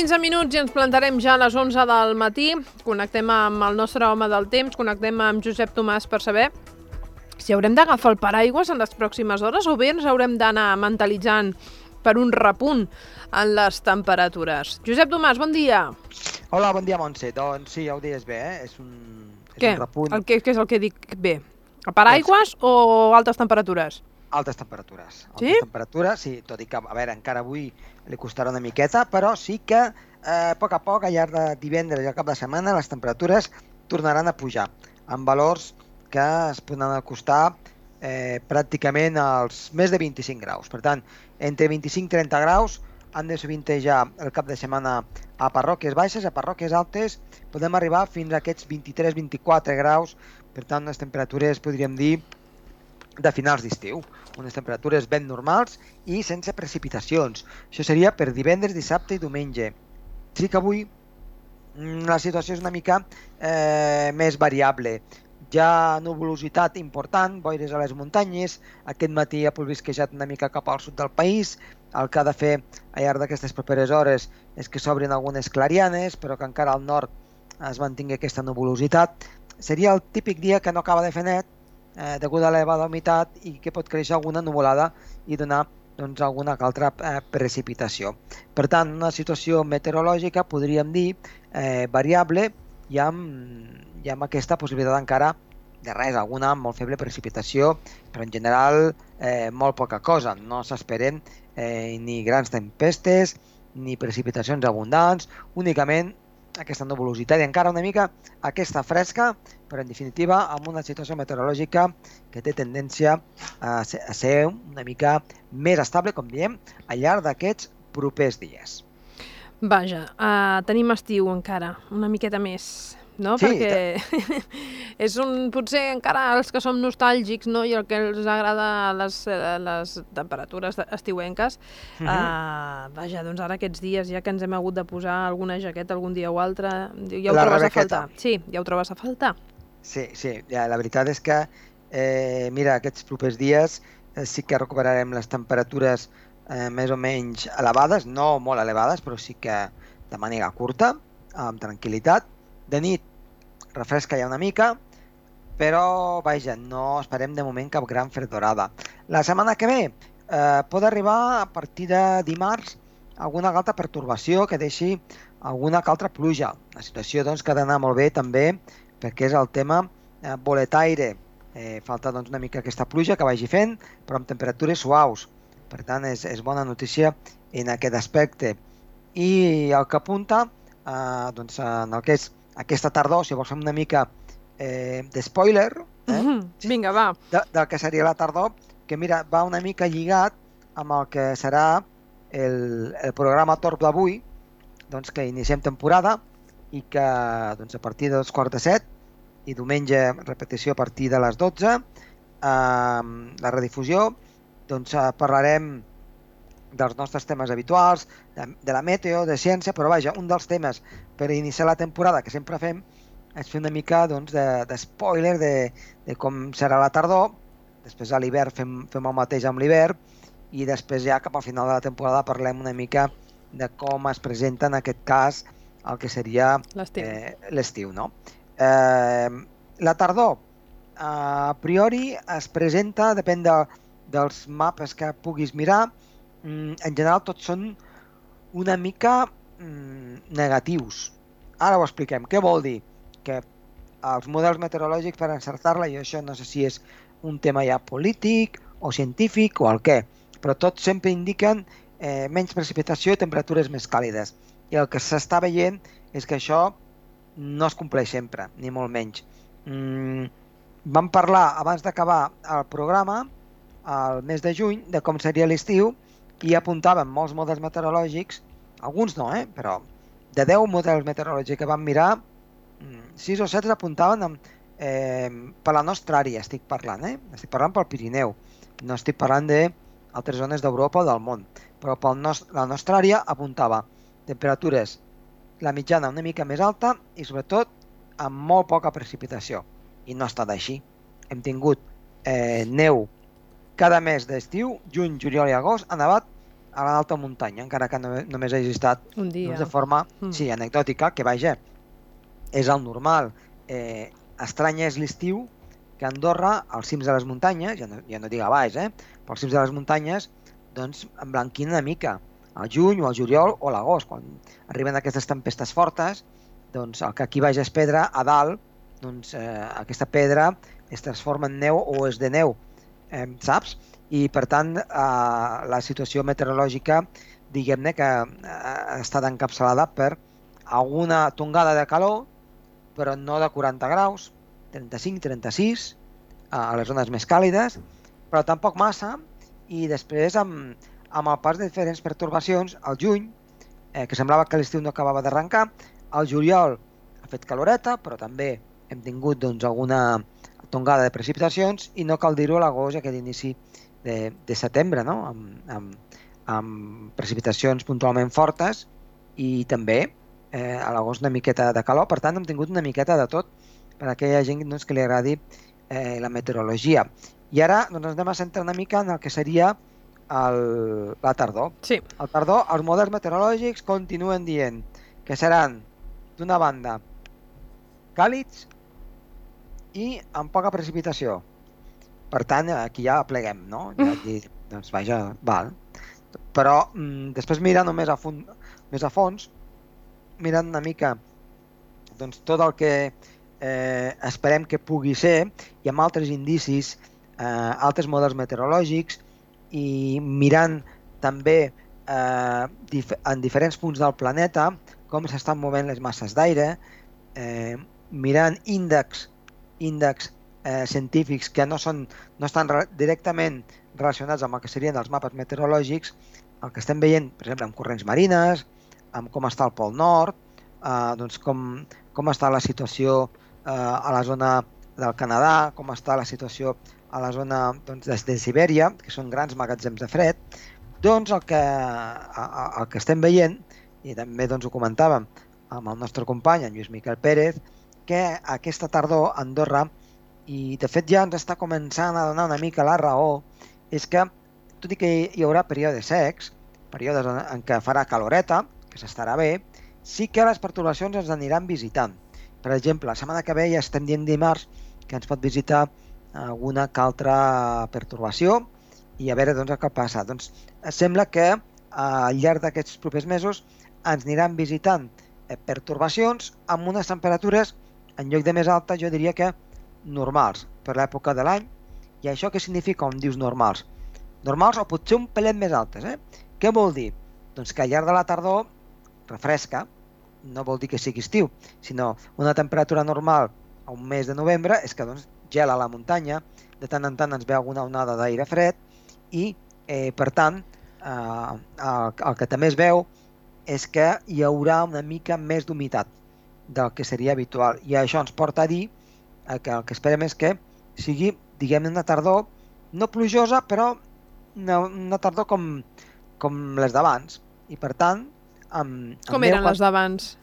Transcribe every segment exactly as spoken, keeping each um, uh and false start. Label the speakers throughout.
Speaker 1: quinze minuts i ens plantarem ja a les onze del matí. Connectem amb el nostre home del temps, connectem amb Josep Tomàs per saber si haurem d'agafar el paraigües en les pròximes hores o bé ens haurem d'anar mentalitzant per un repunt en les temperatures. Josep Tomàs, bon dia.
Speaker 2: Hola, bon dia, Montse. Doncs sí, ja ho deies bé, eh? És un, és
Speaker 1: Què?
Speaker 2: un repunt...
Speaker 1: El que, què és el que dic bé? A paraigües o altes temperatures?
Speaker 2: Altes temperatures. Altes
Speaker 1: Sí?
Speaker 2: temperatures, sí, tot i que, a veure, encara avui li costarà una miqueta, però sí que eh, a poc a poc, al llarg de divendres i al cap de setmana, les temperatures tornaran a pujar, amb valors que es poden acostar eh, pràcticament als més de vint-i-cinc graus. Per tant, entre vint-i-cinc i trenta graus han de sovintejar el cap de setmana a parròquies baixes, a parròquies altes, podem arribar fins a aquests vint-i-tres a vint-i-quatre graus, per tant, les temperatures, podríem dir, de finals d'estiu, unes temperatures ben normals i sense precipitacions. Això seria per divendres, dissabte i diumenge. Sí que avui la situació és una mica eh, més variable. Hi ha nuvolositat important, boires a les muntanyes, aquest matí ha plovisquejat una mica cap al sud del país, el que ha de fer al llarg d'aquestes properes hores és que s'obrin algunes clarianes, però que encara al nord es mantingui aquesta nuvolositat. Seria el típic dia que no acaba de fer net, eh, degut a l'elevada humitat i que pot créixer alguna nuvolada i donar doncs, alguna altra eh, precipitació. Per tant, una situació meteorològica, podríem dir, eh, variable i amb, i amb aquesta possibilitat encara de res, alguna molt feble precipitació, però en general eh, molt poca cosa. No s'esperen eh, ni grans tempestes ni precipitacions abundants, únicament aquesta nuvolositat i encara una mica aquesta fresca, però en definitiva amb una situació meteorològica que té tendència a ser, a ser una mica més estable, com diem, al llarg d'aquests propers dies.
Speaker 1: Vaja, uh, tenim estiu encara, una miqueta més, no?
Speaker 2: Sí,
Speaker 1: perquè és un, potser encara els que som nostàlgics, no? I el que els agrada les, les temperatures estiuenques, uh -huh. uh, vaja, doncs ara aquests dies ja que ens hem hagut de posar alguna jaqueta algun dia o altre, ja ho
Speaker 2: La
Speaker 1: trobes
Speaker 2: rebequeta.
Speaker 1: a faltar. Sí, ja ho trobes a faltar.
Speaker 2: Sí, sí, ja, la veritat és que, eh, mira, aquests propers dies eh, sí que recuperarem les temperatures eh, més o menys elevades, no molt elevades, però sí que de manera curta, amb tranquil·litat. De nit refresca ja una mica, però, vaja, no esperem de moment cap gran fredorada. La setmana que ve eh, pot arribar a partir de dimarts alguna altra pertorbació que deixi alguna altra pluja. La situació doncs, que ha d'anar molt bé també perquè és el tema eh, boletaire. Eh, falta doncs, una mica aquesta pluja que vagi fent, però amb temperatures suaus. Per tant, és, és bona notícia en aquest aspecte. I el que apunta eh, doncs, en el que és aquesta tardor, si vols fer una mica eh, d'espoiler, eh?
Speaker 1: Mm-hmm. Vinga, va.
Speaker 2: De, del que seria la tardor, que mira, va una mica lligat amb el que serà el, el programa Torb d'avui, doncs, que iniciem temporada i que doncs, a partir dels quarts de set i diumenge repetició a partir de les dotze, eh, la redifusió, doncs eh, parlarem dels nostres temes habituals, de, de la meteo, de ciència, però vaja, un dels temes per iniciar la temporada que sempre fem és fer una mica doncs, de, de spoiler de, de com serà la tardor, després a l'hivern fem, fem el mateix amb l'hivern i després ja cap al final de la temporada parlem una mica de com es presenta en aquest cas el que seria l'estiu. Eh, no? eh, la tardor a priori es presenta, depèn de, dels mapes que puguis mirar, en general tots són una mica mm, negatius. Ara ho expliquem. Què vol dir? Que els models meteorològics per encertar-la, i això no sé si és un tema ja polític o científic o el què, però tots sempre indiquen eh, menys precipitació i temperatures més càlides. I el que s'està veient és que això no es compleix sempre, ni molt menys. Mm, vam parlar abans d'acabar el programa, al mes de juny, de com seria l'estiu i apuntàvem molts models meteorològics, alguns no, eh? però de deu models meteorològics que vam mirar, sis o set apuntaven amb, eh, per la nostra àrea, estic parlant, eh? estic parlant pel Pirineu, no estic parlant d'altres zones d'Europa o del món, però per la nostra àrea apuntava temperatures, la mitjana una mica més alta i sobretot amb molt poca precipitació, i no ha estat així. Hem tingut eh, neu cada mes d'estiu, juny, juliol i agost, ha nevat a l'alta muntanya, encara que no, només hagi estat
Speaker 1: Un dia.
Speaker 2: doncs, de forma
Speaker 1: Mm.
Speaker 2: sí, anecdòtica, que vaja, és el normal. Eh, estrany és l'estiu que a Andorra, als cims de les muntanyes, ja no, ja no dic a baix, eh, però als cims de les muntanyes, doncs emblanquina una mica. Al juny o al juliol o a l'agost, quan arriben aquestes tempestes fortes, doncs el que aquí baix és pedra, a dalt, doncs eh, aquesta pedra es transforma en neu o és de neu, eh, saps? I per tant eh, la situació meteorològica, diguem-ne que eh, ha estat encapçalada per alguna tongada de calor, però no de quaranta graus, trenta-cinc trenta-sis, a les zones més càlides, però tampoc massa, i després amb, amb el pas de diferents pertorbacions, al juny, eh, que semblava que l'estiu no acabava d'arrencar, al juliol ha fet caloreta, però també hem tingut doncs, alguna tongada de precipitacions, i no cal dir-ho a l'agost, aquest inici de, de setembre, no? amb, amb, amb precipitacions puntualment fortes, i també eh, a l'agost una miqueta de calor. Per tant, hem tingut una miqueta de tot per a aquella gent doncs, que li agradi eh, la meteorologia. I ara doncs, ens anem a centrar una mica en el que seria el, la tardor.
Speaker 1: Sí.
Speaker 2: Al tardor, els models meteorològics continuen dient que seran, d'una banda, càlids i amb poca precipitació. Per tant, aquí ja pleguem, no? Ja dir, doncs vaja, val. Però mm, després mirant més a, fons, més a fons, mirant una mica doncs, tot el que eh, esperem que pugui ser, i amb altres indicis, eh, altres models meteorològics, i mirant també eh, dif en diferents punts del planeta com s'estan movent les masses d'aire, eh, mirant índexs índexs eh, científics que no, són, no estan re directament relacionats amb el que serien els mapes meteorològics, el que estem veient, per exemple, amb corrents marines, amb com està el Pol Nord, eh, doncs com, com està la situació eh, a la zona del Canadà, com està la situació a la zona doncs, des de Sibèria, que són grans magatzems de fred, doncs el que, el que estem veient, i també doncs, ho comentàvem amb el nostre company, en Lluís Miquel Pérez, que aquesta tardor a Andorra, i de fet ja ens està començant a donar una mica la raó, és que, tot i que hi haurà períodes secs, períodes en què farà caloreta, que s'estarà bé, sí que les pertorbacions ens aniran visitant. Per exemple, la setmana que ve ja estem dient dimarts que ens pot visitar alguna que altra pertorbació, i a veure doncs, què passa. Doncs sembla que al llarg d'aquests propers mesos ens aniran visitant pertorbacions amb unes temperatures, en lloc de més alta, jo diria que normals per l'època de l'any. I això què significa on dius normals? Normals o potser un pelet més altes. Eh? Què vol dir? Doncs que al llarg de la tardor refresca, no vol dir que sigui estiu, sinó una temperatura normal a un mes de novembre és que doncs, gela a la muntanya, de tant en tant ens ve alguna onada d'aire fred i, eh, per tant, eh, el, el que també es veu és que hi haurà una mica més d'humitat del que seria habitual. I això ens porta a dir que el que esperem és que sigui, diguem-ne, una tardor no plujosa, però una, una tardor com, com les d'abans. I per tant... Amb, amb
Speaker 1: com eren les d'abans?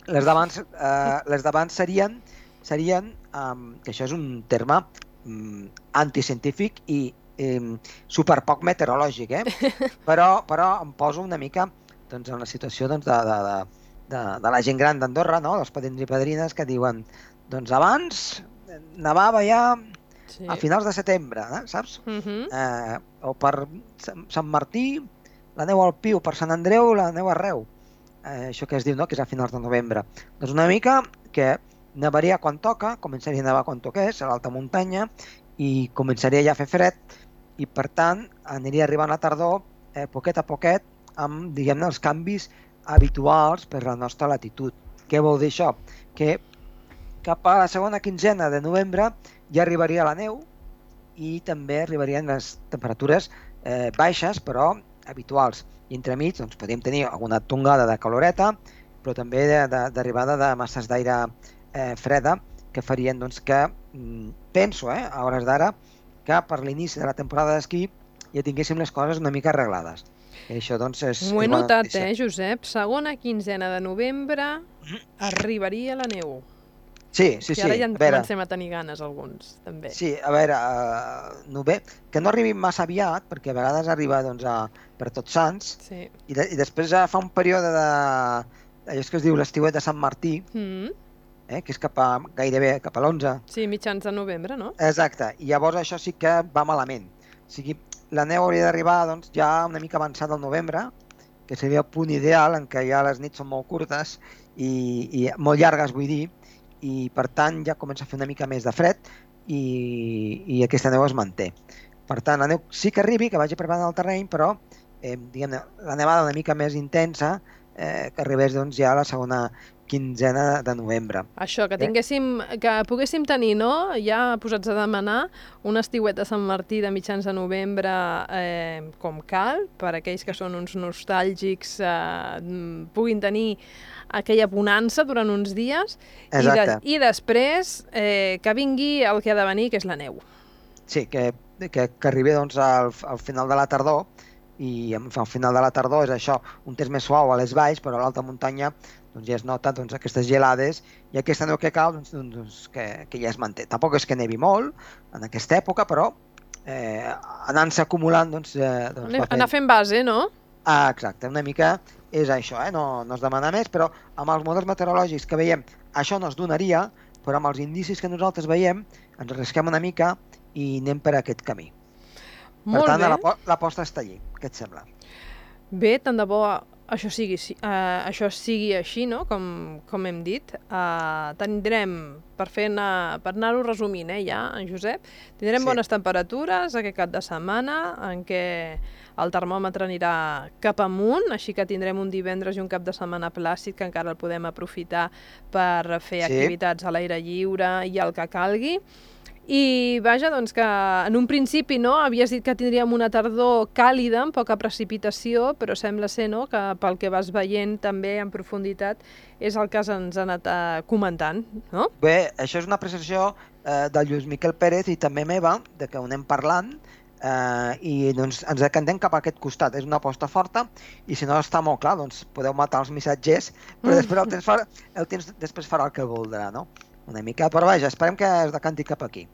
Speaker 2: Les d'abans eh, les d'abans serien, serien um, que això és un terme um, anticientífic i um, superpoc meteorològic, eh? però, però em poso una mica doncs, en la situació doncs, de, de, de, de, de la gent gran d'Andorra, no? Els padrins i padrines que diuen doncs abans nevava ja sí. a finals de setembre, eh? Saps? Uh -huh. eh, o per Sant Martí la neu al Piu, per Sant Andreu la neu arreu. Eh, això que es diu, no? Que és a finals de novembre. Doncs una mica que nevaria quan toca, començaria a nevar quan toqués, a l'alta muntanya, i començaria ja a fer fred, i per tant aniria arribant la tardor eh, poquet a poquet amb, diguem-ne, els canvis habituals per la nostra latitud. Què vol dir això? Que cap a la segona quinzena de novembre ja arribaria la neu i també arribarien les temperatures eh, baixes, però habituals. I entremig doncs, podríem tenir alguna tongada de caloreta, però també d'arribada de, de, de masses d'aire eh, freda que farien doncs, que, mm, penso, eh, a hores d'ara, que per l'inici de la temporada d'esquí ja tinguéssim les coses una mica arreglades. I això, doncs, és...
Speaker 1: M'ho he notat, eh, Josep? Segona quinzena de novembre arribaria la neu.
Speaker 2: Sí, sí,
Speaker 1: I
Speaker 2: sí.
Speaker 1: ara ja en
Speaker 2: A veure,
Speaker 1: comencem a tenir ganes alguns, també.
Speaker 2: sí, a veure, uh, no bé, que no arribin massa aviat, perquè a vegades arriba doncs, a, per Tots Sants,
Speaker 1: Sí.
Speaker 2: i, de, i després ja fa un període de... allò és que es diu l'estiuet de Sant Martí,
Speaker 1: Mm.
Speaker 2: eh, que és cap a, gairebé cap a l'onze.
Speaker 1: Sí, mitjans de novembre, no?
Speaker 2: Exacte, i llavors això sí que va malament. O sigui, la neu hauria d'arribar doncs, ja una mica avançada al novembre, que seria el punt ideal en què ja les nits són molt curtes i, i molt llargues, vull dir, i per tant ja comença a fer una mica més de fred i, i aquesta neu es manté. Per tant, la neu sí que arribi, que vagi preparant el terreny, però eh, diguem, la nevada una mica més intensa eh, que arribés doncs, ja a la segona quinzena de novembre.
Speaker 1: Això, que tinguéssim, que poguéssim tenir, no?, ja posats a demanar un estiuet de Sant Martí de mitjans de novembre eh, com cal, per aquells que són uns nostàlgics eh, puguin tenir aquella bonança durant uns dies i, de, i després eh, que vingui el que ha de venir, que és la neu.
Speaker 2: Sí, que, que, que arribi doncs, al, al final de la tardor, i al final de la tardor és això, un temps més suau a les valls, però a l'alta muntanya doncs, ja es nota doncs, aquestes gelades i aquesta neu que cau doncs, doncs, que, que ja es manté. Tampoc és que nevi molt en aquesta època, però eh, anant-se acumulant doncs, eh, doncs,
Speaker 1: anar, anar fent base, no?
Speaker 2: Ah, exacte, una mica és això, eh? no, no es demana més, però amb els models meteorològics que veiem això no es donaria, però amb els indicis que nosaltres veiem ens arrisquem una mica i anem per aquest camí.
Speaker 1: Molt
Speaker 2: per tant,
Speaker 1: bé.
Speaker 2: l'aposta està allí. Què et sembla?
Speaker 1: Bé, tant de bo això sigui, uh, això sigui així, no?, com, com hem dit. Uh, tindrem, per, fer anar, per anar-ho resumint, eh, ja, en Josep, tindrem sí. bones temperatures aquest cap de setmana, en què el termòmetre anirà cap amunt, així que tindrem un divendres i un cap de setmana plàcid que encara el podem aprofitar per fer sí. activitats a l'aire lliure i el que calgui. I vaja, doncs que en un principi no, havies dit que tindríem una tardor càlida, amb poca precipitació, però sembla ser no, que pel que vas veient també en profunditat és el que ens ha anat comentant, no?
Speaker 2: Bé, això és una apreciació eh, del Lluís Miquel Pérez i també meva, de que ho anem parlant, eh, i doncs, ens decantem cap a aquest costat. És una aposta forta i si no està molt clar, doncs podeu matar els missatgers, però després el temps, farà, el temps després farà el que voldrà, no? Una mica, però vaja, esperem que es decanti cap aquí.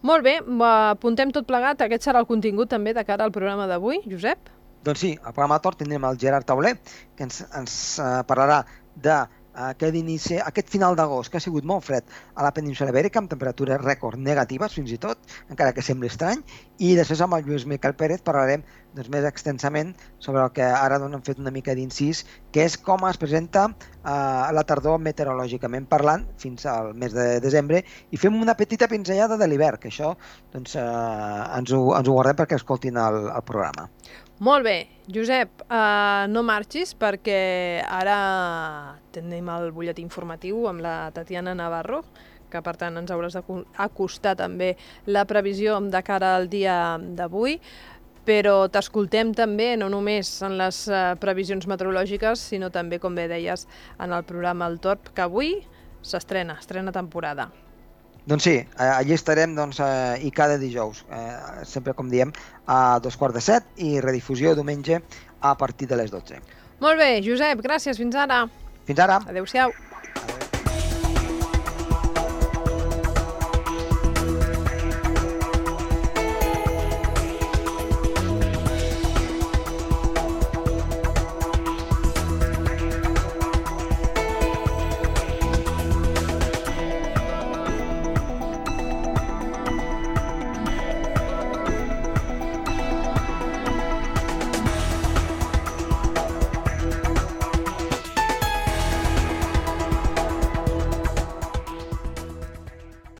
Speaker 1: Molt bé, apuntem tot plegat. Aquest serà el contingut també de cara al programa d'avui, Josep?
Speaker 2: Doncs sí, al programa Torn tindrem el Gerard Tauler, que ens, ens uh, parlarà de aquest, inici, aquest final d'agost, que ha sigut molt fred a la península Ibèrica, amb temperatures rècord negatives, fins i tot, encara que sembli estrany, i després amb el Lluís Miquel Pérez parlarem doncs, més extensament sobre el que ara doncs, hem fet una mica d'incís, que és com es presenta eh, la tardor meteorològicament parlant fins al mes de desembre, i fem una petita pinzellada de l'hivern, que això doncs, eh, ens, ho, ens ho guardem perquè escoltin el, el programa.
Speaker 1: Molt bé, Josep, uh, no marxis perquè ara tenim el butlletí informatiu amb la Tatiana Navarro, que per tant ens hauràs d'acostar també la previsió de cara al dia d'avui, però t'escoltem també no només en les uh, previsions meteorològiques, sinó també, com bé deies, en el programa El Torb, que avui s'estrena, estrena temporada.
Speaker 2: Doncs sí, allí estarem doncs, eh, i cada dijous, eh, sempre com diem, a dos quarts de set i redifusió diumenge a partir de les dotze.
Speaker 1: Molt bé, Josep, gràcies, fins ara.
Speaker 2: Fins ara.
Speaker 1: Adéu-siau.